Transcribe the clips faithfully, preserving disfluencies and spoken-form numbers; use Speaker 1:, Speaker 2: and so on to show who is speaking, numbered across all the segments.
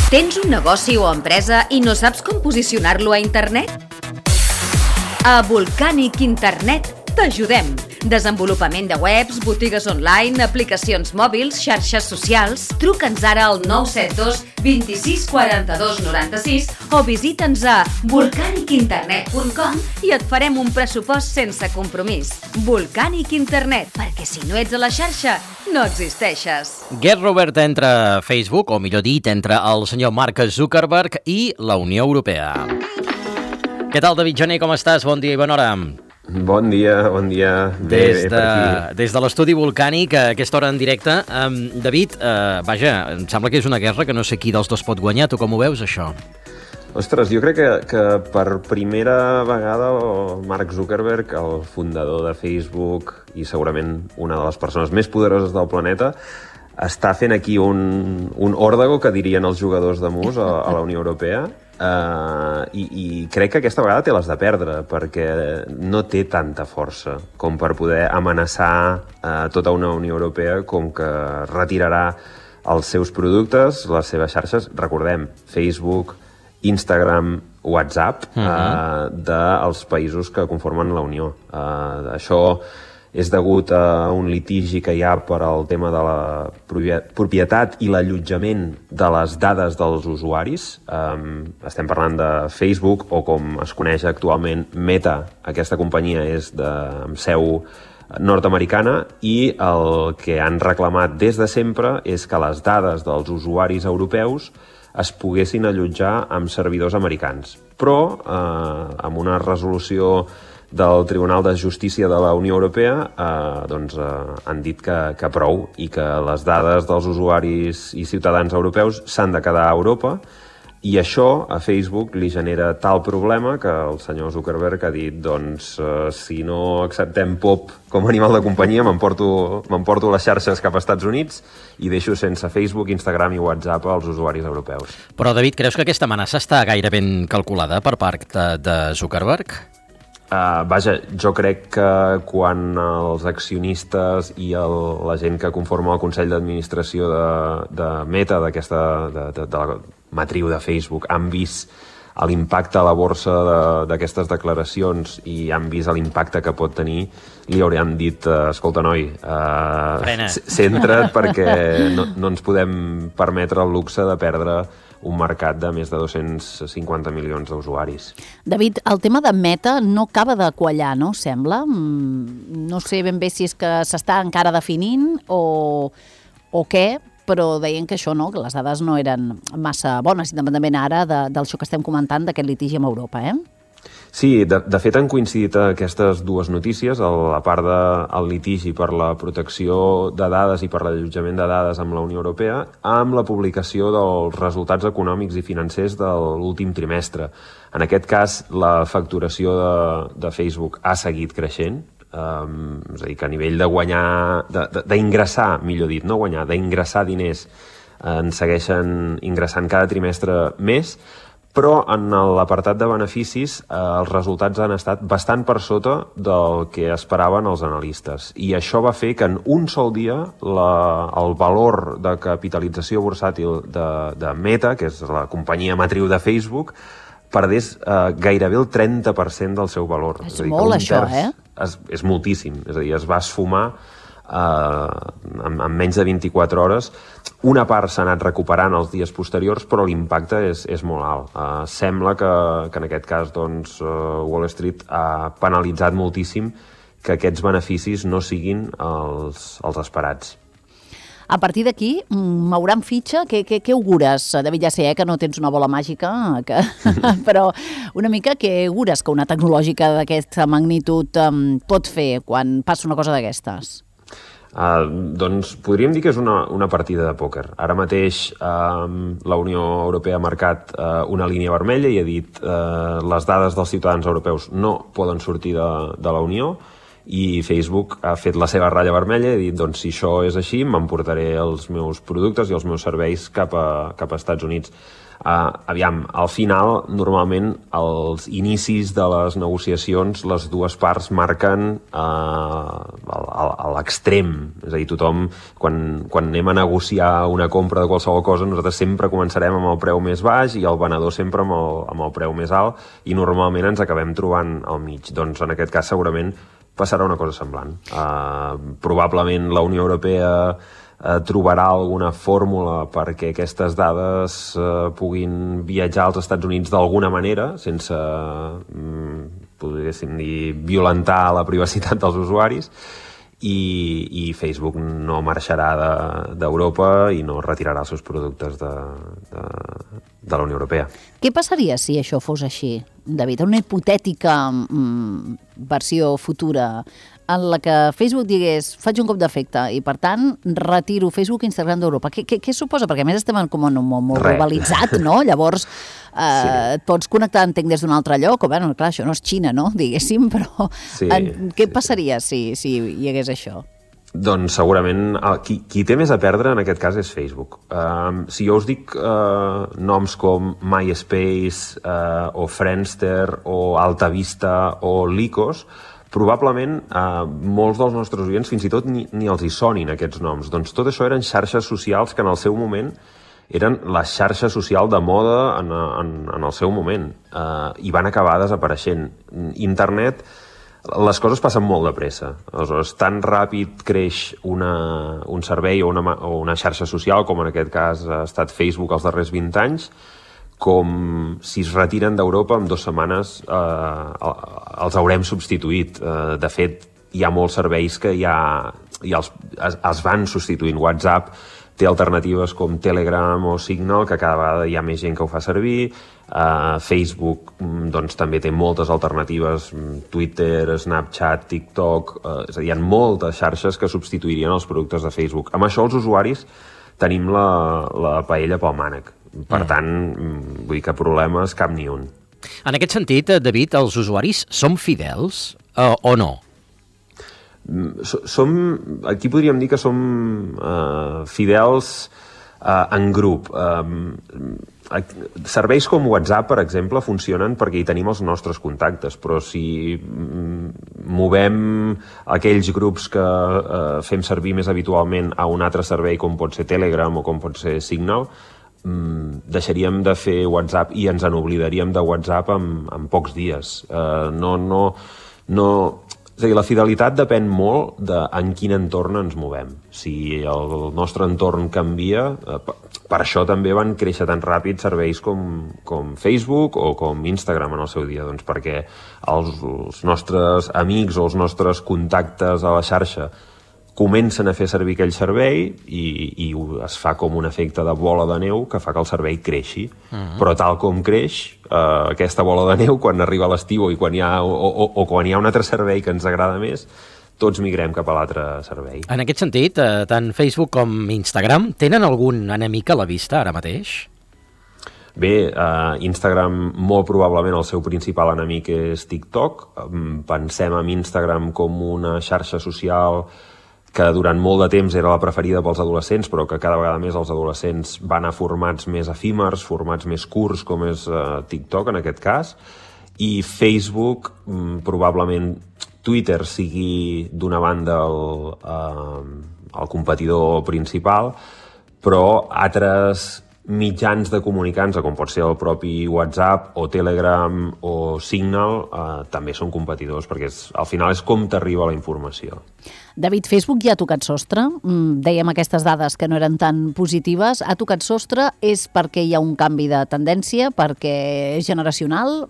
Speaker 1: Tens un negoci o empresa i no saps com posicionar-lo a internet? A Volcanic Internet t'ajudem. Desenvolupament de webs, botigues online, aplicacions mòbils, xarxes socials. Truca'ns ara al nou set dos vint-i-sis quaranta-dos noranta-sis o visita'ns a volcanic internet punt com i et farem un pressupost sense compromís. Volcanic Internet, perquè si no ets a la xarxa, no existeixes.
Speaker 2: Guerra oberta entre Facebook, o millor dit, entre el senyor Mark Zuckerberg i la Unió Europea. Què tal, David Gené, com estàs? Bon dia i bona hora.
Speaker 3: Bon dia, bon dia. Bé,
Speaker 2: des,
Speaker 3: bé
Speaker 2: de,
Speaker 3: per aquí.
Speaker 2: des de l'estudi Volcànic, a aquesta hora en directe. Um, David, uh, vaja, em sembla que és una guerra que no sé qui dels dos pot guanyar. Tu com ho veus, això?
Speaker 3: Ostres, jo crec que, que per primera vegada el Mark Zuckerberg, el fundador de Facebook i segurament una de les persones més poderoses del planeta, està fent aquí un, un òrdago, que dirien els jugadors de mus a, a la Unió Europea. Uh, i, i crec que aquesta vegada té les de perdre, perquè no té tanta força com per poder amenaçar uh, tota una Unió Europea, com que retirarà els seus productes, les seves xarxes, recordem, Facebook, Instagram, WhatsApp, uh, uh, dels països que conformen la Unió. Uh, això és degut a un litigi que hi ha per al tema de la propietat i l'allotjament de les dades dels usuaris. Um, estem parlant de Facebook, o com es coneix actualment, Meta. Aquesta companyia és de amb seu nord-americana, i el que han reclamat des de sempre és que les dades dels usuaris europeus es poguessin allotjar amb servidors americans. Però, eh, amb una resolució del Tribunal de Justícia de la Unió Europea, eh, doncs, eh, han dit que, que prou, i que les dades dels usuaris i ciutadans europeus s'han de quedar a Europa, i això a Facebook li genera tal problema que el senyor Zuckerberg ha dit, doncs, eh, si no acceptem pop com a animal de companyia, m'emporto m'emporto les xarxes cap als Estats Units i deixo sense Facebook, Instagram i WhatsApp als usuaris europeus.
Speaker 2: Però, David, creus que aquesta amenaça està gaire ben calculada per part de, de Zuckerberg?
Speaker 3: Uh, vaja, jo crec que quan els accionistes i el, la gent que conforma el Consell d'Administració de, de Meta, d'aquesta de, de, de la matriu de Facebook, han vist l'impacte a la borsa d'aquestes de, declaracions i han vist l'impacte que pot tenir, li haurien dit, uh, escolta, noi, uh, centra't, perquè no, no ens podem permetre el luxe de perdre un mercat de més de dos-cents cinquanta milions d'usuaris.
Speaker 4: David, el tema de Meta no acaba de quallar, no? Sembla. No sé ben bé si és que s'està encara definint o, o què, però deien que això no, que les dades no eren massa bones, independentment ara de, del que estem comentant d'aquest litigi amb Europa, eh?
Speaker 3: Sí, de, de fet han coincidit aquestes dues notícies, a part del litigi per la protecció de dades i per l'allotjament de dades amb la Unió Europea, amb la publicació dels resultats econòmics i financers de l'últim trimestre. En aquest cas, la facturació de, de Facebook ha seguit creixent, um, és a dir, que a nivell de guanyar, d'ingressar, millor dit, no guanyar, d'ingressar diners, en segueixen ingressant cada trimestre més, però en l'apartat de beneficis eh, els resultats han estat bastant per sota del que esperaven els analistes. I això va fer que en un sol dia la, el valor de capitalització bursàtil de, de Meta, que és la companyia matriu de Facebook, perdés eh, gairebé el trenta per cent del seu valor.
Speaker 4: És, és dir, molt, això, eh?
Speaker 3: És, és moltíssim. És a dir, es va esfumar Uh, en, en menys de vint-i-quatre hores. Una part s'ha anat recuperant els dies posteriors, però l'impacte és, és molt alt. Uh, sembla que, que en aquest cas doncs, uh, Wall Street ha penalitzat moltíssim que aquests beneficis no siguin els, els esperats.
Speaker 4: A partir d'aquí, mouran fitxa? Què, què, què augures? David, ja sé eh, que no tens una bola màgica, que... però una mica què augures que una tecnològica d'aquesta magnitud um, pot fer quan passa una cosa d'aquestes?
Speaker 3: Uh, doncs podríem dir que és una, una partida de pòquer. Ara mateix uh, la Unió Europea ha marcat uh, una línia vermella i ha dit uh, les dades dels ciutadans europeus no poden sortir de, de la Unió, i Facebook ha fet la seva ratlla vermella i ha dit, doncs si això és així, m'emportaré els meus productes i els meus serveis cap a, cap a Estats Units. Uh, aviam, al final, normalment, als inicis de les negociacions, les dues parts marquen uh, a l'extrem. És a dir, tothom, quan, quan anem a negociar una compra de qualsevol cosa, nosaltres sempre començarem amb el preu més baix i el venedor sempre amb el, amb el preu més alt i normalment ens acabem trobant al mig. Doncs en aquest cas segurament passarà una cosa semblant. Uh, probablement la Unió Europea Uh, trobarà alguna fórmula perquè aquestes dades uh, puguin viatjar als Estats Units d'alguna manera, sense, um, podríem dir, violentar la privacitat dels usuaris, i, i Facebook no marxarà d'Europa de, i no retirarà els seus productes de, de, de la Unió Europea.
Speaker 4: Què passaria si això fos així, David? Una hipotètica mm, versió futura en la que Facebook digués, faig un cop d'efecte i, per tant, retiro Facebook i Instagram d'Europa. Què, què, què suposa? Perquè, a més, estem com en un món molt Re. globalitzat, no? Llavors, eh, sí. et pots connectar, entenc, des d'un altre lloc, o, bueno, clar, això no és Xina, no?, diguéssim, però sí, en, què sí, passaria sí. si, si hi hagués això?
Speaker 3: Doncs segurament qui, qui té més a perdre en aquest cas és Facebook. Um, si jo us dic uh, noms com MySpace uh, o Friendster o AltaVista o Lycos, probablement eh, molts dels nostres oients fins i tot ni, ni els hi sonin aquests noms. Doncs tot això eren xarxes socials que en el seu moment eren la xarxa social de moda en, en, en el seu moment eh, i van acabar desapareixent. Internet, les coses passen molt de pressa. Aleshores, tan ràpid creix una, un servei o una, o una xarxa social, com en aquest cas ha estat Facebook els darrers vint anys, com si es retiren d'Europa en dues setmanes eh, els haurem substituït. Eh, de fet, hi ha molts serveis que ja, ja els, es, es van substituint. WhatsApp té alternatives com Telegram o Signal, que cada vegada hi ha més gent que ho fa servir. Eh, Facebook doncs, també té moltes alternatives, Twitter, Snapchat, TikTok, eh, és a dir, hi ha moltes xarxes que substituirien els productes de Facebook. Amb això els usuaris tenim la, la paella pel mànec. Per tant, vull dir que problemes cap ni un.
Speaker 2: En aquest sentit, David, els usuaris som fidels uh, o no?
Speaker 3: Som, aquí podríem dir que som uh, fidels uh, en grup. Uh, serveis com WhatsApp, per exemple, funcionen perquè hi tenim els nostres contactes, però si movem aquells grups que uh, fem servir més habitualment a un altre servei com pot ser Telegram o com pot ser Signal, Mm, deixaríem de fer WhatsApp i ens n'oblidaríem de WhatsApp en, en pocs dies. Uh, no, no, no... És a dir, la fidelitat depèn molt de en quin entorn ens movem. Si el, el nostre entorn canvia, uh, per, per això també van créixer tan ràpid serveis com, com Facebook o com Instagram en el seu dia, doncs perquè els, els nostres amics o els nostres contactes a la xarxa comencen a fer servir aquell servei i, i es fa com un efecte de bola de neu que fa que el servei creixi. Uh-huh. Però tal com creix, eh, aquesta bola de neu, quan arriba l'estiu i quan hi ha, o, o, o quan hi ha un altre servei que ens agrada més, tots migrem cap a l'altre servei.
Speaker 2: En aquest sentit, eh, tant Facebook com Instagram tenen algun enemic a la vista ara mateix?
Speaker 3: Bé, eh, Instagram molt probablement el seu principal enemic és TikTok. Pensem en Instagram com una xarxa social que durant molt de temps era la preferida pels adolescents, però que cada vegada més els adolescents van a formats més efímers, formats més curts, com és uh, TikTok en aquest cas, i Facebook, mm, probablement Twitter sigui d'una banda el, uh, el competidor principal, però altres mitjans de comunicar-nos, com pot ser el propi WhatsApp o Telegram o Signal, eh, també són competidors, perquè és, al final és com t'arriba la informació.
Speaker 4: David, Facebook ja ha tocat sostre? Dèiem aquestes dades que no eren tan positives. Ha tocat sostre? És perquè hi ha un canvi de tendència? Perquè és generacional?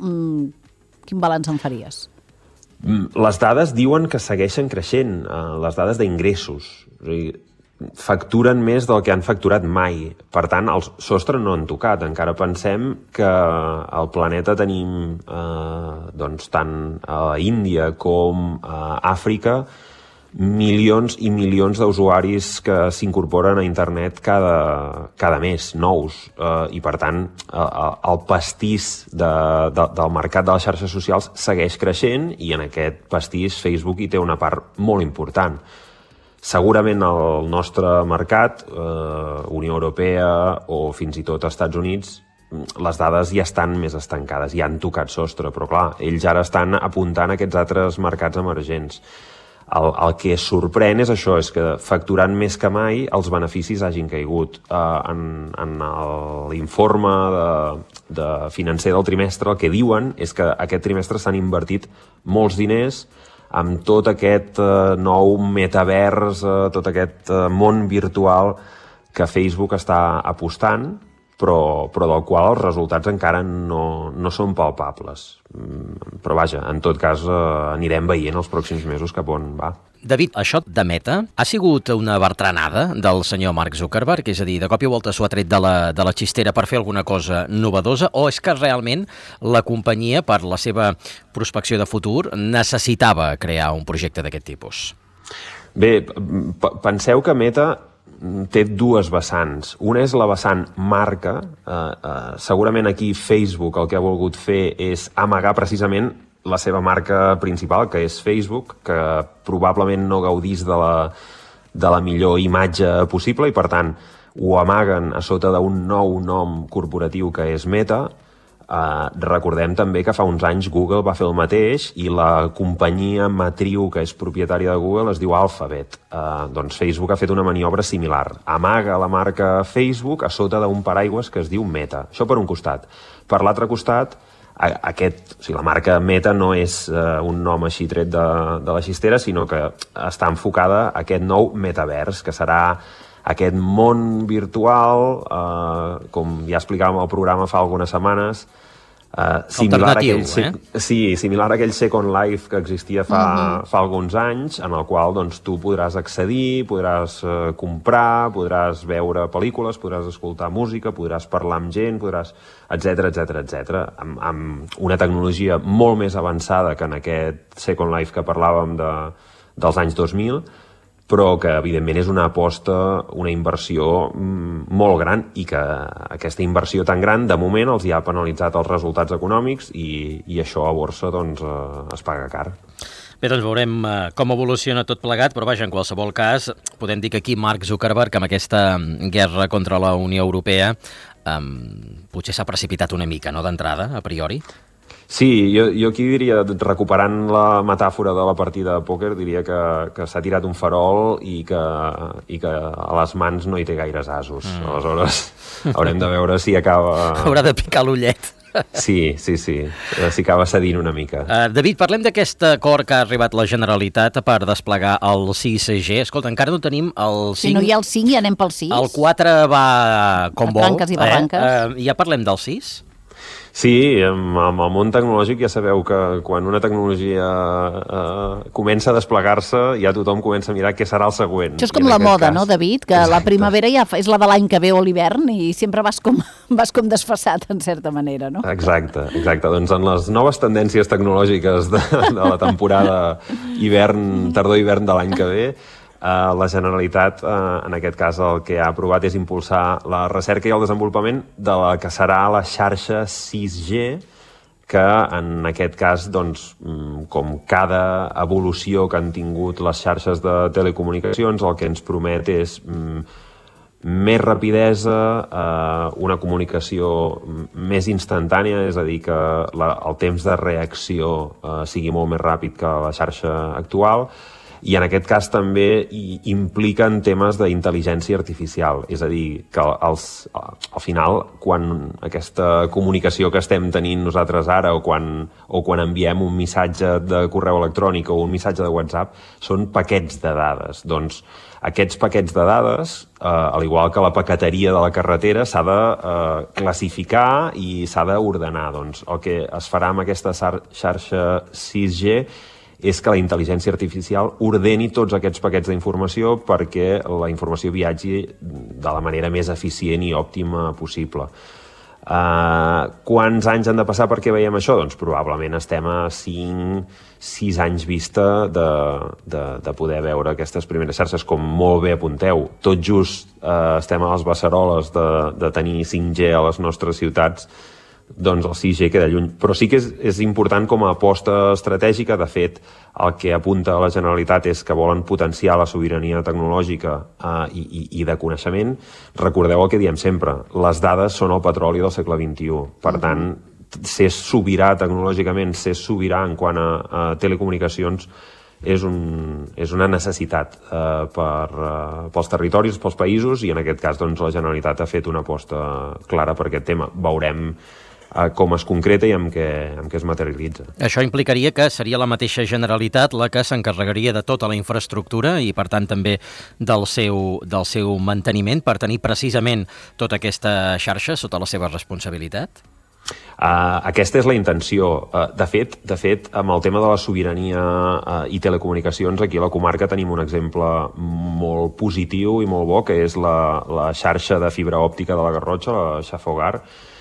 Speaker 4: Quin balanç en faries?
Speaker 3: Les dades diuen que segueixen creixent, les dades d'ingressos. O sigui, facturen més del que han facturat mai. Per tant, el sostre no han tocat. Encara pensem que al planeta tenim eh, doncs, tant a Índia com a Àfrica milions i milions d'usuaris que s'incorporen a internet cada, cada mes, nous, eh, i per tant el, el pastís de, de, del mercat de les xarxes socials segueix creixent i en aquest pastís Facebook hi té una part molt important. Segurament el nostre mercat, eh, Unió Europea o fins i tot Estats Units, les dades ja estan més estancades, ja han tocat sostre, però clar, ells ara estan apuntant a aquests altres mercats emergents. El, el que sorprèn és això, és que facturant més que mai els beneficis hagin caigut. Uh, en en l'informe de, de financer del trimestre el que diuen és que aquest trimestre s'han invertit molts diners amb tot aquest uh, nou metavers, uh, tot aquest uh, món virtual que Facebook està apostant, però, però del qual els resultats encara no, no són palpables. Però vaja, en tot cas eh, anirem veient els pròxims mesos cap on va.
Speaker 2: David, això de Meta ha sigut una bertranada del senyor Mark Zuckerberg? És a dir, de cop i volta s'ho ha tret de la, de la xistera per fer alguna cosa novedosa, o és que realment la companyia, per la seva prospecció de futur, necessitava crear un projecte d'aquest tipus?
Speaker 3: Bé, penseu que Meta té dues vessants. Una és la vessant marca. Eh, eh, segurament aquí Facebook el que ha volgut fer és amagar precisament la seva marca principal, que és Facebook, que probablement no gaudís de la, de la millor imatge possible i, per tant, ho amaguen a sota d'un nou nom corporatiu que és Meta. Uh, recordem també que fa uns anys Google va fer el mateix i la companyia matriu que és propietària de Google es diu Alphabet. Uh, doncs Facebook ha fet una maniobra similar. Amaga la marca Facebook a sota d'un paraigües que es diu Meta. Això per un costat. Per l'altre costat, aquest, o sigui, la marca Meta no és uh, un nom així tret de, de la xistera, sinó que està enfocada a aquest nou metavers, que serà aquest món virtual, eh, com ja explicàvem al programa fa algunes setmanes, eh, similar, a aquell, eh? sí, similar a aquell Second Life que existia fa, uh-huh. fa alguns anys, en el qual doncs, tu podràs accedir, podràs eh, comprar, podràs veure pel·lícules, podràs escoltar música, podràs parlar amb gent, podràs etcètera, etcètera, etcètera, amb, amb una tecnologia molt més avançada que en aquest Second Life que parlàvem de, dels anys dos mil, però que evidentment és una aposta, una inversió molt gran i que aquesta inversió tan gran de moment els hi ha penalitzat els resultats econòmics i, i això a borsa doncs, eh, es paga car.
Speaker 2: Bé, doncs veurem eh, com evoluciona tot plegat, però vaja, en qualsevol cas, podem dir que aquí Mark Zuckerberg, amb aquesta guerra contra la Unió Europea, eh, potser s'ha precipitat una mica, no?, d'entrada, a priori.
Speaker 3: Sí, jo, jo aquí diria, recuperant la metàfora de la partida de pòquer, diria que, que s'ha tirat un farol i que, i que a les mans no hi té gaires asos. Mm. Aleshores, haurem de veure si acaba...
Speaker 2: Haurà de picar l'ullet.
Speaker 3: Sí, sí, sí, si acaba cedint una mica.
Speaker 2: Uh, David, parlem d'aquest acord que ha arribat la Generalitat per desplegar el sis G. Escolta, encara no tenim el cinc.
Speaker 4: Si no hi ha el cinc, ja anem pel sis.
Speaker 2: El quatre va com vol.
Speaker 4: Branques i barranques.
Speaker 2: Eh? Uh, ja parlem del sis?
Speaker 3: Sí, amb, amb el món tecnològic ja sabeu que quan una tecnologia eh, comença a desplegar-se ja tothom comença a mirar què serà el següent.
Speaker 4: Això és com la moda, cas... no, David? Que Exacte. La primavera ja és la de l'any que ve o l'hivern i sempre vas com, vas com desfassat, en certa manera, no?
Speaker 3: Exacte, exacte. Doncs en les noves tendències tecnològiques de, de la temporada hivern, tardor-hivern de l'any que ve, Uh, la Generalitat, uh, en aquest cas, el que ha aprovat és impulsar la recerca i el desenvolupament de la que serà la xarxa sis G, que en aquest cas, doncs, com cada evolució que han tingut les xarxes de telecomunicacions, el que ens promet és mm, més rapidesa, eh, una comunicació més instantània, és a dir, que la, el temps de reacció eh, sigui molt més ràpid que la xarxa actual, i en aquest cas també impliquen temes d'intel·ligència artificial, és a dir, que els, al final, quan aquesta comunicació que estem tenint nosaltres ara o quan, o quan enviem un missatge de correu electrònic o un missatge de WhatsApp, són paquets de dades. Doncs aquests paquets de dades, eh, al igual que la paqueteria de la carretera, s'ha de eh, classificar i s'ha d'ordenar. Doncs el que es farà amb aquesta xarxa sis G és que la intel·ligència artificial ordeni tots aquests paquets d'informació perquè la informació viatgi de la manera més eficient i òptima possible. Uh, quants anys han de passar perquè veiem això? Doncs probablement estem a cinc sis anys vista de, de, de poder veure aquestes primeres xarxes, com molt bé apunteu. Tot just uh, estem a les beceroles de, de tenir cinc G a les nostres ciutats, doncs el sis G queda lluny. Però sí que és, és important com a aposta estratègica. De fet, el que apunta a la Generalitat és que volen potenciar la sobirania tecnològica eh, i, i de coneixement. Recordeu el que diem sempre, les dades són el petroli del segle vint-i-u. Per tant, ser sobirà tecnològicament, ser sobirà en quant a, a telecomunicacions, és, un, és una necessitat eh, per, eh, pels territoris, pels països, i en aquest cas doncs, la Generalitat ha fet una aposta clara per aquest tema. Veurem com es concreta i amb què, amb què es materialitza.
Speaker 2: Això implicaria que seria la mateixa Generalitat la que s'encarregaria de tota la infraestructura i, per tant, també del seu, del seu manteniment per tenir precisament tota aquesta xarxa sota la seva responsabilitat?
Speaker 3: Uh, aquesta és la intenció. Uh, de fet, de fet, amb el tema de la sobirania uh, i telecomunicacions, aquí a la comarca tenim un exemple molt positiu i molt bo, que és la, la xarxa de fibra òptica de la Garrotxa, la Xafogar,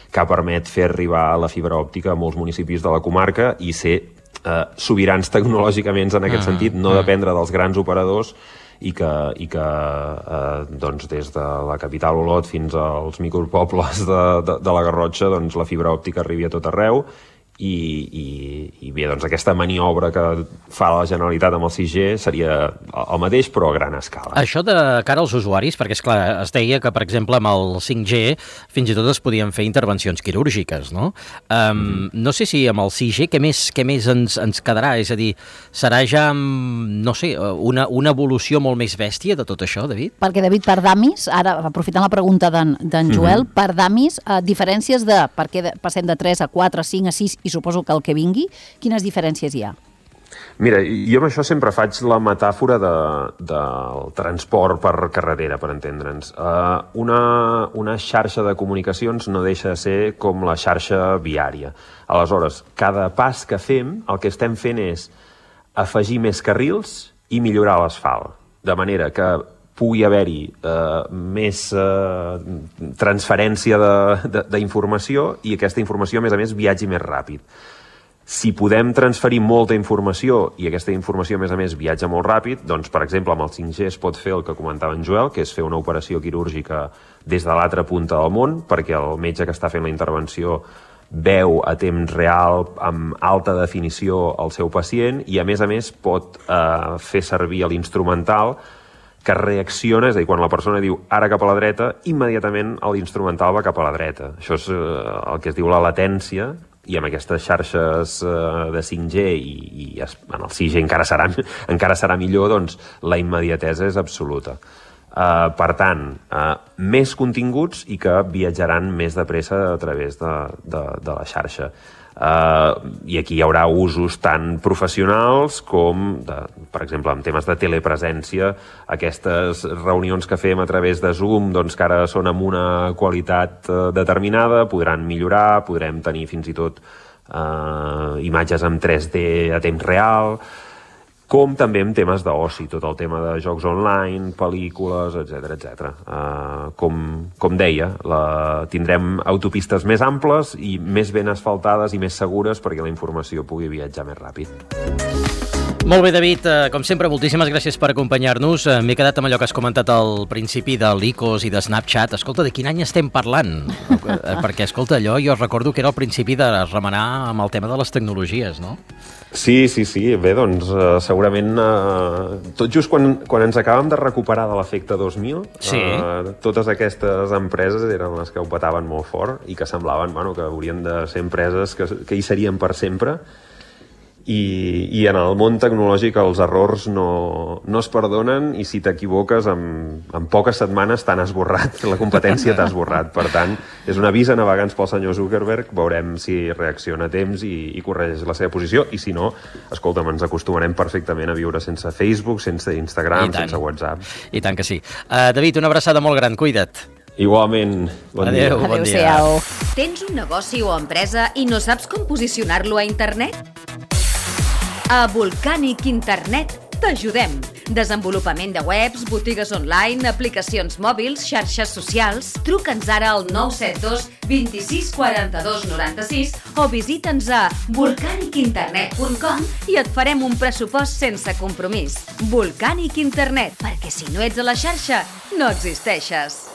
Speaker 3: que permet fer arribar la fibra òptica a molts municipis de la comarca i ser eh, sobirans tecnològicament en aquest mm, sentit, no mm. dependre dels grans operadors i que, i que eh, doncs des de la capital Olot fins als micropobles de, de, de la Garrotxa doncs la fibra òptica arribi a tot arreu. I, i, i bé, doncs aquesta maniobra que fa la Generalitat amb el sis G seria el mateix però a gran escala.
Speaker 2: Això de cara als usuaris, perquè és clar, es deia que per exemple amb el cinc G fins i tot es podien fer intervencions quirúrgiques, no? Um, mm. No sé si amb el sis G què més, què més ens, ens quedarà, és a dir, serà ja, no sé, una, una evolució molt més bèstia de tot això, David?
Speaker 4: Perquè David, per damis, ara aprofitant la pregunta d'en Joel, mm-hmm. per damis, eh, diferències de per què passem de tres a quatre, a cinc, a sis i suposo que el que vingui, quines diferències hi ha?
Speaker 3: Mira, jo amb això sempre faig la metàfora de, del transport per carretera, per entendre'ns. Uh, una, una xarxa de comunicacions no deixa de ser com la xarxa viària. Aleshores, cada pas que fem, el que estem fent és afegir més carrils i millorar l'asfalt, de manera que pugui haver-hi eh, més eh, transferència d'informació i aquesta informació, a més a més, viatgi més ràpid. Si podem transferir molta informació i aquesta informació, a més a més, viatja molt ràpid, doncs, per exemple, amb el cinc G es pot fer el que comentava en Joel, que és fer una operació quirúrgica des de l'altra punta del món, perquè el metge que està fent la intervenció veu a temps real, amb alta definició, el seu pacient i, a més a més, pot eh, fer servir l'instrumental que reacciona, és a dir, quan la persona diu ara cap a la dreta, immediatament l'instrumental va cap a la dreta. Això és eh, el que es diu la latència, i amb aquestes xarxes eh, de cinc G i, i en el sis G encara serà, encara serà millor, doncs la immediatesa és absoluta. Uh, per tant, uh, més continguts i que viatjaran més de pressa a través de, de, de la xarxa. Uh, I aquí hi haurà usos tan professionals com, de, per exemple, en temes de telepresència, aquestes reunions que fem a través de Zoom, doncs que ara són amb una qualitat uh, determinada, podran millorar, podrem tenir fins i tot uh, imatges en tres D a temps real, com també en temes d'oci, tot el tema de jocs online, pel·lícules, etcètera, etcètera. Uh, com, com deia, la, tindrem autopistes més amples i més ben asfaltades i més segures perquè la informació pugui viatjar més ràpid.
Speaker 2: Molt bé, David, com sempre, moltíssimes gràcies per acompanyar-nos. M'he quedat amb allò que has comentat al principi de l'I C O S i de Snapchat. Escolta, de quin any estem parlant? Perquè, escolta, allò jo recordo que era el principi de remenar amb el tema de les tecnologies, no?
Speaker 3: Sí, sí, sí. Bé, doncs, uh, segurament, uh, tot just quan, quan ens acabàvem de recuperar de l'efecte dos mil, sí. uh, totes aquestes empreses eren les que ho petaven molt fort i que semblaven, bueno, que haurien de ser empreses que, que hi serien per sempre. I, i en el món tecnològic els errors no, no es perdonen i si t'equivoques en, en poques setmanes t'han esborrat, la competència t'ha esborrat. Per tant, és un avís a navegants pel senyor Zuckerberg, veurem si reacciona a temps i, i corregeix la seva posició i si no, escolta'm, ens acostumarem perfectament a viure sense Facebook, sense Instagram, sense WhatsApp.
Speaker 2: I tant que sí. Uh, David, una abraçada molt gran, cuida't.
Speaker 3: Igualment, bon
Speaker 2: Adeu,
Speaker 3: dia.
Speaker 2: Bon dia.
Speaker 1: Tens un negoci o empresa i no saps com posicionar-lo a internet? A Volcànic Internet t'ajudem. Desenvolupament de webs, botigues online, aplicacions mòbils, xarxes socials. Truca'ns ara al nou set dos vint-i-sis quaranta-dos noranta-sis o visita'ns a volcanic internet punt com i et farem un pressupost sense compromís. Volcanic Internet, perquè si no ets a la xarxa, no existeixes.